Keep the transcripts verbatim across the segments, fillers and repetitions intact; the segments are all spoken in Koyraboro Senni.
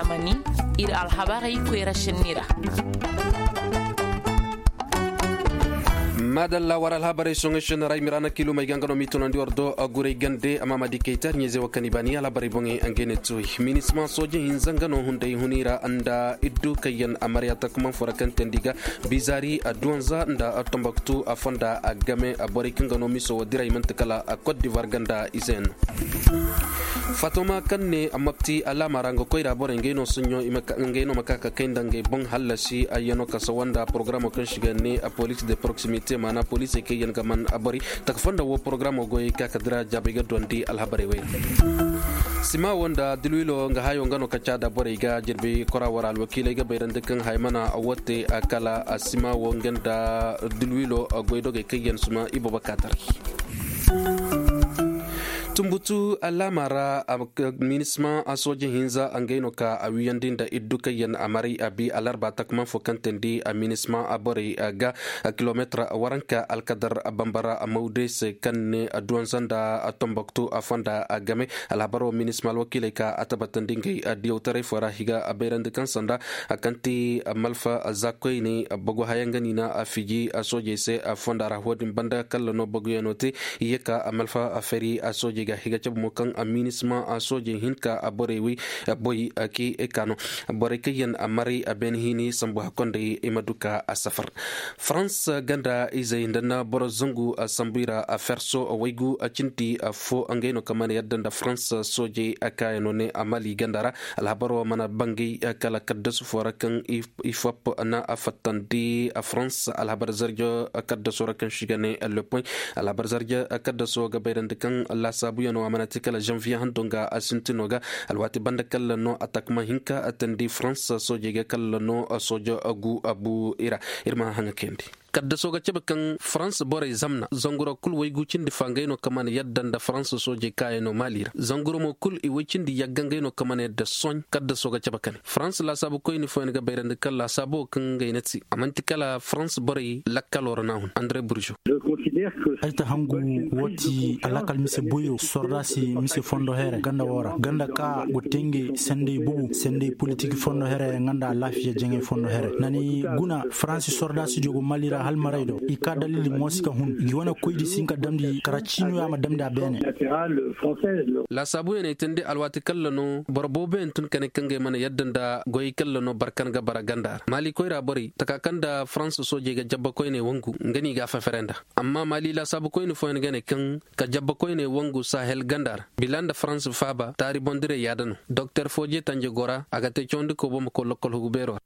Amani, ir alhabarey koyra šenni ra. Madalla war alhabarey soŋey šenni ra i miraana kilumey ga nga no m'i tunandi war do. Gurey gande amma ma di kaytar ɲeeze wo kaŋ i baani alhabarey boŋey nga i ne tuwey minisma sooje hinza nga no hunday huni ra nda iddu kaŋ yaŋ a marya takman fo ra kaŋ teendi ga bizari a duwanza nda a tombaktu a fonda a game a borey kaŋ ga no miso wo diray manti kala a kot divar ganda ize yaŋ no. Fatoma kaŋ ne a mapti alaama ra nga koyra borey ngey no soɲɲo ngey no ma ka ka kay nda ngey boŋ hallasi ayyano ka sawa nda porogaraamo kaŋ si ga ne a police de proximité maana poliisey kaŋ yaŋ ga man a borey taka fonda wo porogaraamo goyey ka ka dira jaabey ga duwandi alhabarey wey ra. Sima wo nda dilwilo nga hayo nga no ka caada borey ga jirbi kora wara alwakiiley ga bayrandi kaŋ hay mana a wote kala a sima wo nga nda dilwilo goydogey kaŋ yaŋ suma i boobo ka taray. Tumbutu alaama ra minisma sooje hinza ngey no ka a wiyandi nda iddu kaŋ yaŋ a maray a bi alarba takman fo kaŋ teendi a minisma borey ga kilomeetir waranka alkadar bambara mawde se kaŋ ne duwanza nda tomboktu a fonda a game. Alhabaro minisma alwakiiley ka a tabbatandi ngey diyawtaray fo ra higa a bayrandi kaŋ sanda a kaŋ ti malfa zakoyne bagu haya nga ni na a fiji a soojey se a fonda ra wo-din banda kalla no baguyaŋo te. I ye ka a malfa a fari a soojey ga higa cabe mo kaŋ a minisma a soojey hinka a borey wi boy ki ka no borey kaŋ yaŋ a maray a beene hini sambu hakkonday i ma du ka a safar. Farans ganda izey nda na boro zangu a sambu i ra a ferso a waygu a cindi a fo ngey no kaŋ mana yadda nda farans soojey a kaayano ne a mali ganda ra. Alhabaro mana bangay kala kaddasu fo ra kaŋ i fop na a fattandi a farans alhabar zarjo kaddaso ra kaŋ si ga ne le point. Alhabar zarjo kaddaso ga bayrandi kaŋ laasaabuyaŋo a mana te kala janvier hando nga a sintino ga alwaati banda kala no a takma hinka a tandi farans soojey ga kala no soojo gu a bu i ra. Ir ma haŋa kayandi. Kaddaso ga cabe kaŋ farans borey zamna zanguro kul waygu cindi fa ngey no kaŋ mana yadda nda farans soojey kaayano mali ra zanguro mo kul i way cindi yagga ngey no kaŋ mana yadda soɲ kaddaso ga cabe kane farans laasaabu koyni fooyaŋ ga bayrandi kaŋ laasaabo kaŋ ngey na ti a manti kala farans borey lakkalo ra na hun andre burjo. Ay ta hangu woo ti alakal mise boyo sordaasi mise fondo here ganda woo ra ganda ka go te ngey senday bubu senday politik fondo here nga nda alaafiya jaŋay fondo here na ni guna faransi sordaasi diyo go mali ra hal maray do i ka dalili moosi ka hun i wane koydi si hin ka damndi kara ciinoya ma damndi a beene. Laasaabuyaŋ ay teendi alwaati kalla no boro booboyaŋ tun ka ne kaŋ ga ay mana yadda nda goyey kalla no barkan ga bara ganda ra maali koyra borey taka kaŋ nda faransa soojey ga jabba koyney wangu nga no i ga a fefere nda. Amma maali laasaabu koyne fooyaŋ ga ne kaŋ ka jabba koyney wangu sahel ganda ra bila nda faransa faaba taari boŋ diray yaada no doktor fooje tanje gora a ga te cawandi koobo ma koy lokkol hugu beero ra.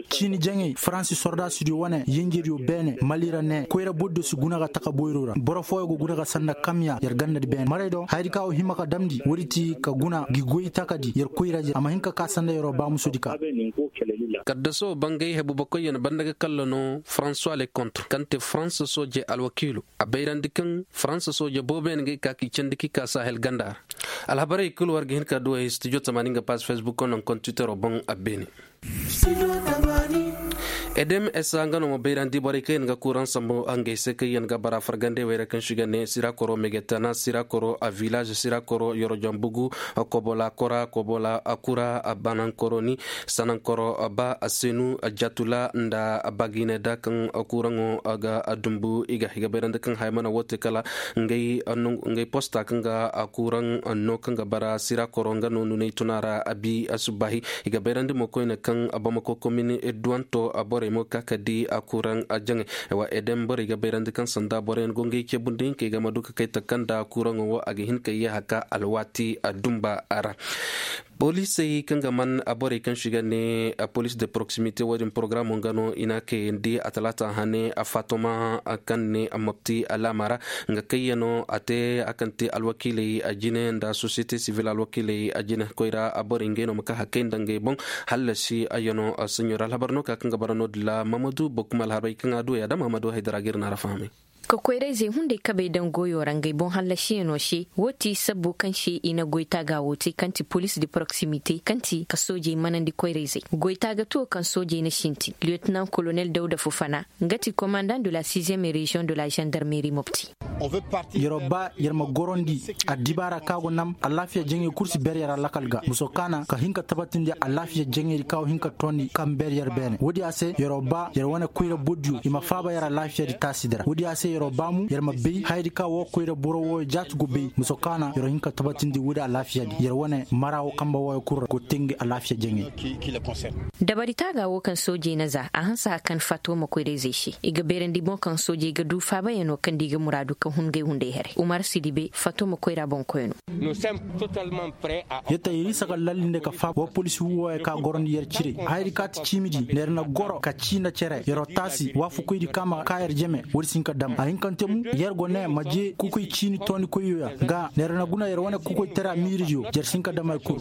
Ciini jaŋey faransi sordaasidiyo wane yenjediyo beene mali ra ne koyra bordiyo si guna ga taka boyro ra boro fooyaŋ go guna ga sanda kamya yer gandadi beene maray do hayadi ka wo hima ka damndi woodi ti ka guna gi goy takadi yer koyra a ma hin ka ka sanda yeroo baamusodi ka. Kaddaso bangay hebu bakoyyaŋ banda ga kalla no françois le contre kaŋ te faransa sooje alwakiilo a bayrandi kaŋ faransa sooje booboyaŋ ga ay ka k'i candi k'i ka sahel ganda ra. Alhabarey kul war ga hin ka duwey studio tamaani nga pass facebook kono kontitero boŋ a beene. Edem esa nga no ma bayrandi borey kaŋ yaŋ ga kuuraŋ sambu ngey se kaŋ yaŋ ga bara fargandey wey ra kaŋ si ga ne sira koro megetana sira koro a village sira koro yorojon bugu kobola kora kobola kura banaŋ koro ni sanaŋ koro ba senu jatula nda bagine da kaŋ kuuraŋo ga dumbu i ga i ga bayrandi kaŋ haya mana wo te kala ngey posta kaŋ ga kuuraŋ no kaŋ ga bara sira koro nga no nuney tuna ra a bi a subbahi. I ga bayrandi mo koyne kaŋ bamako komini duwanto borey mo ka ka di a kuuraŋ jaŋay. Wa edem borey ga bayrandi kaŋ sanda boroyaŋ go ngey ceebundi hinkey ga ma du ka kay taka nda kuuraŋo wo a ga hin ka yee haka alwaati a dumba ra. Poliisey kaŋ ga man borey kaŋ si ga ne police de proximité wo-din porogaraamo nga no i na a kayandi a talaata hane a fatoma kaŋ ne a mopti alaama ra. Nga kayyaŋo a te a kaŋ te alwakiiley a jine nda société civil alwakiiley a jine koyra a borey ngey no ma ka hakkay nda ngey boŋ. Hallasi ayyaŋo seɲor alhabar no ka kaŋ ga bara no-din ra mamadu bokuma alhabarey kaŋ a du ya da mamadu haydara ga ir na ra fahamay. Ka koyra-izey hunday kabey daŋ goyo ra ngey boŋ hallasiyaŋo se, wo ti sabbo kaŋ se i na goy taaga wo te kaŋ ti police de proximité kaŋ ti ka soojey manandi koyra-izey. Goy taaga tuwo kaŋ soojey na sintin lieutenant colonel dawda fufana, nga ti commandant de la sixième région de la gendarmerie mopti. Yer'o ba yer ma gorandi addibaara kaŋ a go nam alaafiya jaŋey kul si ber yer alakal ga muso kaana ka hin ka tabatindi alaafiya jaŋey di kaŋ a go hin ka toondi kaŋ ber yer beene woodiya se yer'o ba yer wane koyra bordiyo i ma faaba yer alaafiyadi taasidi ra woodiya se yer'o ba mo yer ma bay hayadi kaŋ woo koyra boro wooyo jaati go bay muso kaana yer'o hin ka tabatindi woodi alaafiyadi yer wane mara woo kamba wooyo kul ra go teendi alaafiya jaŋey. Dabari taaga woo kaŋ soojey na za a hanse haka kaŋ fato ma koyra-izey se i ga beerandi boŋ kaŋ soojey ga du faabayaŋo kaŋ nda i ga muraadu ka hun ngey hunday haray umar sidibe fato ma koyra boŋkoy no. Yetta yer isa ga lalli nda ka faaba wa poliisi wooyo ka gorandi yer cire hayadi ka ti ciimidi nda yer na goro ka ciina cere yer'o taasi waafakoydi ka ma ka yer jeme woodi si hin ka dam a hin kaŋ te mo yer go ne ma je kukoy ciini toonikoyyo ya ga nda yer na guna yer wane kukoytara miiridiyo jer si hin ka dam hari kul.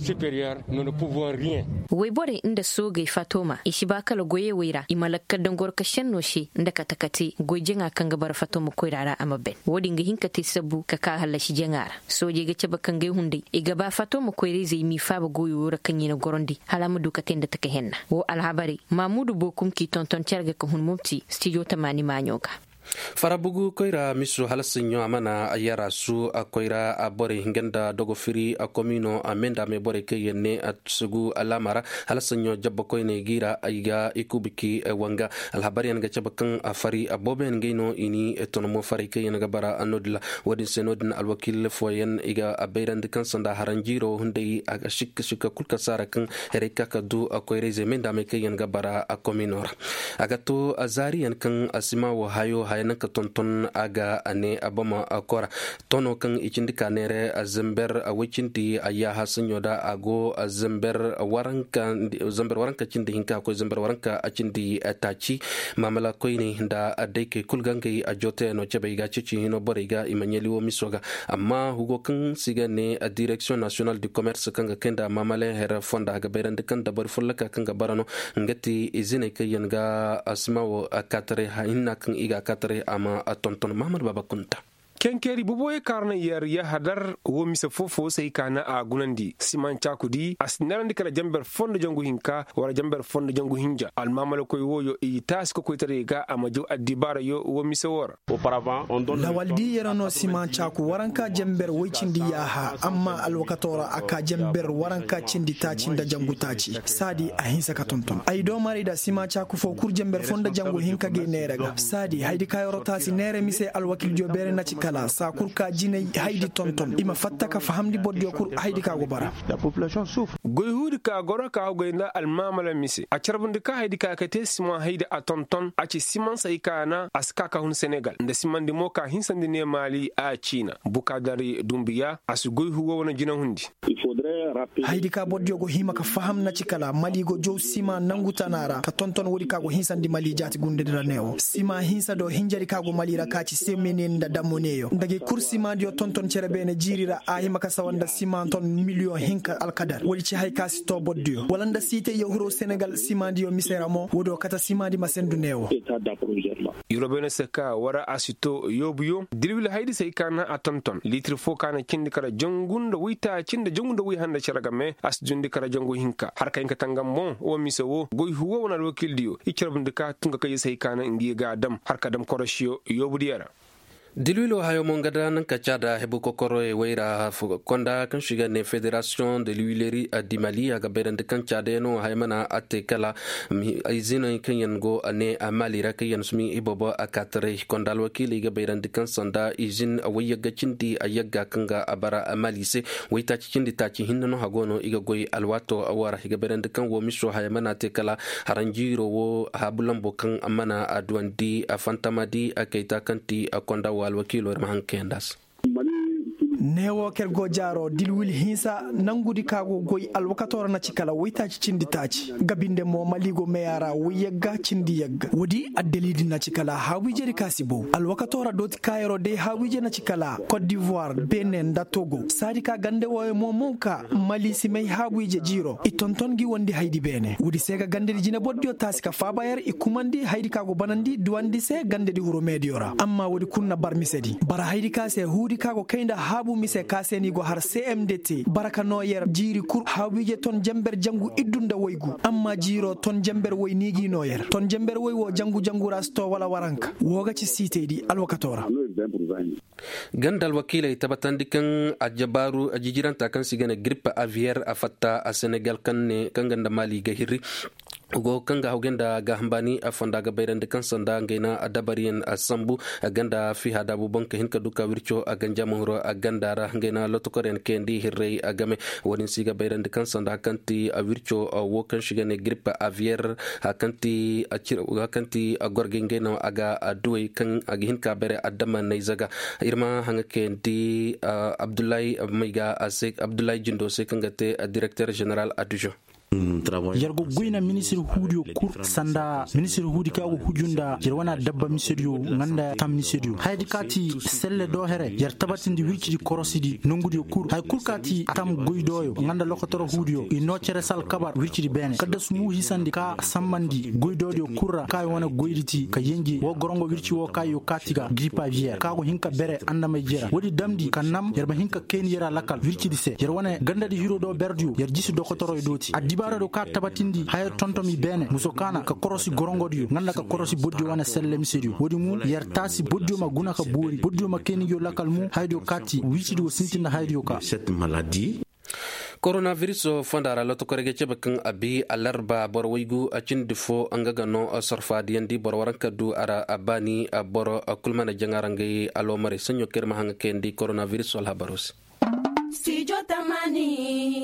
Wayborey nda soogey fatoma i si ba kala goyey wey ra i ma lakkal daŋ goro ka senno se nda kate-kate goy jaŋa kaŋ ga bara fatoma koyra ra a ma ben wo-din ga hin ka te sabbu ka ka hallasi jaŋa ra. Soojey ga cabe ka ngey hunday i ga ba fatoma koyra-izey m'i faaba goyo wo ra kaŋ i na gorandi hala a ma du ka te nda taka henna wo alhabarey. Mamuudu bookum k'i tonton cere ga ka hun mopti stijo tamaani maaɲo ga. Farabugu koyra miso hala saɲɲo a mana yara su a koyra a borey hinga nda dogo firi a komino a menda me borey kaŋ yaŋ ne a sugu alaama ra hala saɲɲo jabba koyney gi ra ay ga i kubiki wanga. Alhabar yaŋ ga cabe kaŋ a fari a boobo yaŋ ngey no i ni tonomo faray kaŋ yaŋ ga bara a no-din ra. Wo-din se no-din alwakiil fooyaŋ i ga a bayrandi kaŋ sanda haranjiiro hunday a ga sikka sikka kul ka saara kaŋ herey ka ka du a koyra-izey me nda a may kaŋ yaŋ ga bara a komino ra. A ga to a zaari yaŋ kaŋ a sima wo hayo haya naŋ ka tonton a ga a ne a bama a kora. Tono kaŋ i cindi ka neere a zamber a way cindi a yaaha saɲɲo da a go a zamber waranka cindi hinka a koy zamber waranka a cindi taaci. Maamala koyney nda a daykey kul ga ngey a jooteyaŋo cabe i ga a ceeci hino borey ga i ma ɲali wo miso ga. Amma hugo kaŋ se i ga ne a direksiyoŋ nasiyonal du komers kaŋ ga kay nda maamala her fonda a ga bayrandi kaŋ dabari folloka kaŋ ga bara no. Nga ti iziney kaŋ yaŋ ga a sima wo a kaataray hinna kaŋ i ga a kaataray a ma a tonton mahamad baaba kunta. Kenkeeri boboyey kaŋ a ra na yer yahadar wo mise foo-foo se hay ka na a gunandi siman caaku di a si neerandi kala jamber foo nda jangu hinka wala jamber foo nda jangu hinja almaamalakoy wooyo i taasi kokoytaray ga a ma jaw addibaarayo wo mise woo ra. Lawal di yer no siman caaku waranka jamber woy cindi yaaha amma alwakatoo ra a ka jamber waranka cindi taaci nda jangu taaci saadi a hinsa ka tonton ay doomaray da siman caaku foo kul jamber foo nda jangu hinka ga ay neera ga saadi haydi ka yeroo taasi neera mise alwakildiyo beere na ci kala saa kul ka jinay haydi tonton i ma fatta ka fahamndi bordiyo kul haydi ka go bara. Goy huudi ka goro ka hugay nda almaamala mise a carbundi ka haydi ka ka te siman haydi a tonton a ci siman say ka na a si ka ka hun senegal nda simandi mo ka hinsandi ne maali a ciina bukaadari dumbiya a si goy hugo wane jinahundi. Haydi ka bordiyo go hima ka faham na ci kala mali go jow sima nangu tana ra ka tonton woodi ka go hinsandi mali jaati gundedi ra neewo sima hinsa do hinjadi ka go mali ra ka ci semene nda damoneyo nda gay kul simandiyo tonton cere beene jiiri ra a hima ka sawa nda sima ton miliyoŋ hinka alkadar woodi ci hay ka si to bordiyo wala nda siitey yo hiro senegal simandiyo mise ra mo woodiyo kate simandi ma sendu neewo. Yurobene se ka wara a si to yoobuyo dilwil haydi se hay ka na a tonton liitir fo ka na cindi kala jangu nda waytaaci nda jangu nda way handa cere game a si dundi kala jangu hinka har ka hin ka tangam boŋ wo mise wo goy huwo wane alwakiildiyo i carbundi ka tun ka kayye se hay ka na ngi ga a dam har ka dam korosiyo yoobudiyo ra. Dilwilo hayo mo nga da naŋ ka caada hebu kokoroyey wayra konda kaŋ si ga ne federasiyoŋ de luwileri a di mali a ga bayrandi kaŋ caada yaŋ no haya mana a te kala iziney kaŋ yaŋ go a ne a mali ra kaŋ yaŋ sumi iboobo a kaataray konda alwakiiley ga bayrandi kaŋ sanda izin wayyagga cindi a yagga kaŋ ga a bara a mali se waytaaci cindi taaci hinne no hago no i ga goy alwaato wara i ga bayrandi kaŋ wo miso haya mana te kala haranjiiro wo haabu lambo kaŋ mana a duwandi a fantama di a kayta kaŋ ti a konda wo alwakiilo ir ma haŋ kayandi a se. Neewo ker go jaaro dilwil hinsa nangudi ka go goy alwakatoo ra na ci kala waytaaci cindi taaci. Gabinde mo maligo meya ra wayyagga cindi yagga woodi addaliidi na ci kala haabu-ijedi ka si bow alwakatoo ra dooti kaayaroo day haabu-ije na ci kala kot divoir bene nda togo saadi ka gande wooyo mo mo ka mali si may haabu-ije jiiroo i tonton ngi wondi haydi beene woodi se ga gandedi jinebordiyo taasi ka faaba yer i kumandi haydi ka go banandi duwandi se gandedi huru meediyo ra amma woodi kul na bar misedi bara haydi ka se huudi ka go kay nda haabu mise ka se ni go har cmd te bara ka noo yer jiiri kul haabu-ije ton jenber jangu iddu nda waygu amma jiiroo ton jenber way ni gi noo yer ton jenber way woo jangu jangu ra si too wala waranka woo ga ci siitaydi alwakatoo ra. Ganda alwakiiley tabatandi kaŋ ajabaaru ajijiranta kaŋ se i ga ne girippe aviyer a fatta a senegal kaŋ ne kaŋ ga nda maali ga hirri go kaŋ ga hawgay nda gaaham baani a fonda ga bayrandi kaŋ sanda ngey na dabariyaŋ sambu a ganda fiha daabu boŋ ka hin ka du ka wirco a ganja mahuro a ganda ra ngey na lotokoryaŋ kayandi hirray a game. Wo-din se i ga bayrandi kaŋ sanda kaŋ ti a wirco wo kaŋ se i ga ne girippe aviyer a kaŋ ti a gorgay ngey no a ga a duwey kaŋ a ga hin ka bare adama nayza ga. Ir ma haŋa kayandi abdullahi mayga a se abdullahi jindo se kaŋ ga te direkter jeneral addujon. Yer go goy na ministir huudiyo kul sanda ministir huudi kaŋ a go huju nda yer wane adabba misediyo nga nda tam misediyo hayadi ka ti selle do here yer tabatindi wircidi korosidi nongudiyo kul haya kul ka ti tam goydooyo nga nda lokotoro huudiyo i noo cere sal kabar wircidi beene kaddasu mu hisandi ka sambandi goydoodiyo kul ra kaŋ ay wane goydi ti ka yenje woo gorongo wirci woo kaŋ ay yo kaati ga gripa viyer kaŋ a go hin ka bere andamay jera woodi damndi ka nam yer ma hin ka kayni yer a lakal wircidi se yer wane gandadi hiro do berdiyo yer jisi dokotoroy dooti addibaaradiyo kaŋ a tabatindi haya tontomi beene muso kaana ka korosi gorongodiyo nga nda ka korosi bordiyo wane selle misediyo woodi mu yer taasi bordiyo ma guna ka boori bordiyo ma kayni ngiyo lakal mu hayadiyo kaati wiisidi wo sintin nda hayadiyo ka. Koronaviris fonda ra lotokorey ga cabe kaŋ a bi alarba boro waygu a cindi fo nga ga no sorfaadiyandi boro waranka du a ra a baani boro kul mana jaŋa ra ngay aloomarey saɲɲo kaŋ ir ma haŋa kayandi koronaviris alhabaro se.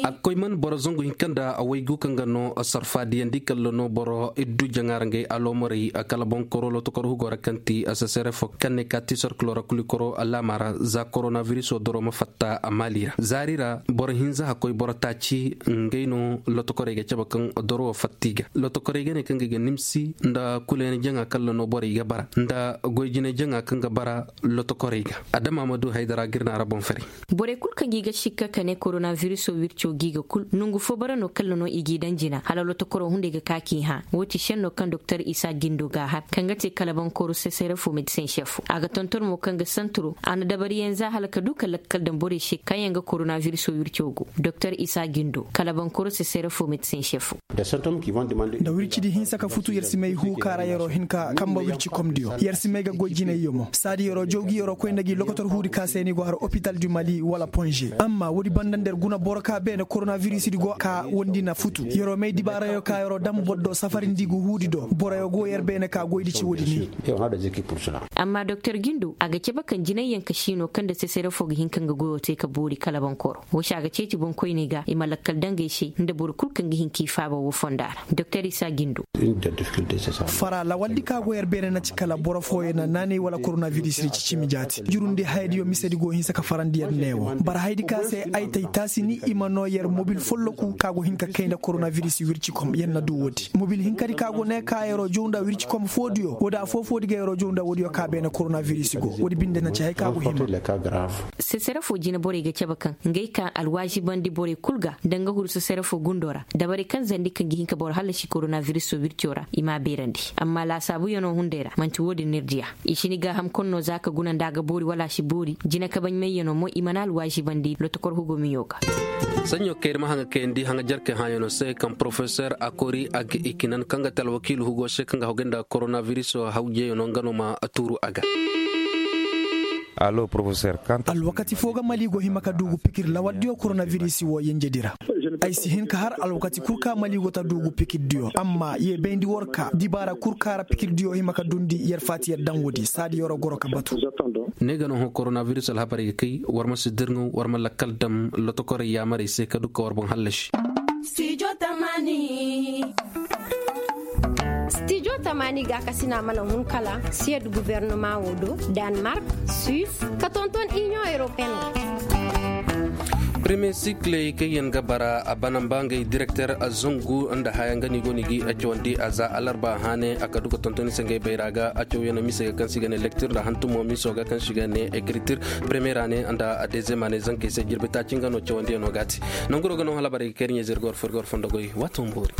A ga koy man boro zangu hinka nda a waygu kaŋ ga no sorfaadiyandi kalla no boro iddu jaŋa ra ngay aloomarey kala boŋ koro lotokor hugo ra kaŋ ti sesere fo kaŋ ne ka ti sorkilo ra kuli koro laama ra za koronaviriso doro ma fatta a maali ra zaari ra boro hinza hakkoy boro taaci ngey no lotokorey ga cabe kaŋ doro wo fatta i ga lotokorey ga ne kaŋ ga i ga nimsi nda kuleene jaŋa kalla no borey ga bara nda goy jine jaŋa kaŋ ga bara lotokorey ga adama ma du haydara ga ir na ra boŋ fari. Borey kul kaŋ gi ga sikka ka ne koronaviriso wirco gi ga kul nongu fo bara no kalla no i g'i daŋ jina hala lotokoro hunday ga ka k'i hã wo ti senno kaŋ doktor isa gindo ga a har kaŋ ga te kala bankoro sesere fo medisen sefo a ga tonton mo kaŋ ga santuro a na dabariyaŋ za hala ka du ka lakkal daŋ borey se kaŋ yaŋ ga koronaviriso wirco go doktor isa gindo kala bankoro sesere fo medisen sefo. Nda wircidi hinsa ka futu yer si may huu kaara yeroo hin ka kamba wirci komdiyo yer si may ga goy jinayyo mo saadi yeroo jawgi yeroo koy nda gi lokotor huudi ka se ni go har opital du mali wala ponže amma woodi banda nda yer guna boro ka beene koronavirisidi go ka wondi na futu yeroo may dibaarayo ka yeroo dam boro do safarindi ga huudi do boroyo go yer beene ka goydi ci woodi ni. Amma doktor gindo a ga cabe kaŋ jinayyaŋ ka siino kaŋ nda sesere fo ga hin ka nga goyo te ka boori kala bonkoro wo se a ga ceeci boŋkoyney ga i ma lakkal daŋ ga ay se nda boro kul kaŋ ga hin k'i faaba wo fonda ra doktor isa gindo. Fara lawaldi ka go yer beene na ci kala boro fooyaŋ na naanay wala koronaviris ra i ci cimi jaati jurundi hayadiyo misedi go hinsa ka farandi yer neewo bara hayadi ka se ay tay taasi ni i ma noo yer mobil folloku ka go hin ka kay nda koronaviris wircikom yer na du woodi mobil hinkadi ka go ne ka yeroo jaw nda wircikom foodiyo woodi afoo foodi ga yeroo jaw nda woodiyo ka beene koronaviris go woodi binde na ci hay ka go hima. Sesere fo jine borey ga cabe kaŋ ngey ka alwaazibandi borey kul ga nda nga huru sesere fo gundo ra dabari kaŋ zandi kaŋ ga hin ka boro hallasi koronaviriso wirco ra i m'a beerandi amma laasaabuyanoo hunday ra man'ti wo-din no ir diya i si ni gaaham kaŋ no za ka guna nda a ga boori wala a si boori jine kabaɲmayyanoo mo i mana alwaazibandi lotokor hugo miɲo ga. Saɲɲo kaŋ ir ma haŋa kayandi haŋa jarkey hãyanoo se kaŋ porofesor akori a ga i kinan kaŋ ga te alwakiilu hugo se kaŋ ga hogay nda koronaviriso hawjeyanoo nga no ma tuuru a ga. Alwakati fo ga mali go hima ka duugu pikir lawaldiyo koronabirisi wo yenjedi ra. Ay si hin ka har alwakati kul ka mali go ta duugu pikirdiyo amma ye bayndi war ka dibaara kul ka ra pikirdiyo hima ka dundi yer faati yer daŋ woodi saadi yeroo goro ka batu. Ne ga no hõ koronabiris alhabarey ga kay war ma si dirŋaw war ma lakkal dam lotokorey yaamarey se ka du ka war boŋ hallasi. Stijo tamaani gaakasina mana hun kala siyed gubernama wo do, danmark, suis, ka tonton inion europeen wo. Premier sikiley kaŋ yaŋ ga bara a bana mba ngey direkter zangu nda haya nga no i go no i ga cawandi a za alarba haane a ka du ga tonton i se ngey bayra ga a caw yaŋ no mise ga kaŋ se i ga ne lektir nda hantumo miso ga kaŋ se i ga ne ekritir. Premier ane nda dezem ane zankey se jirbi taaci nga no cawandi yaŋ no ga a te. Nanguro ga no hala barey ga kay iri ɲayze iri ga war fo iri ga war fondo goy waato ma boori.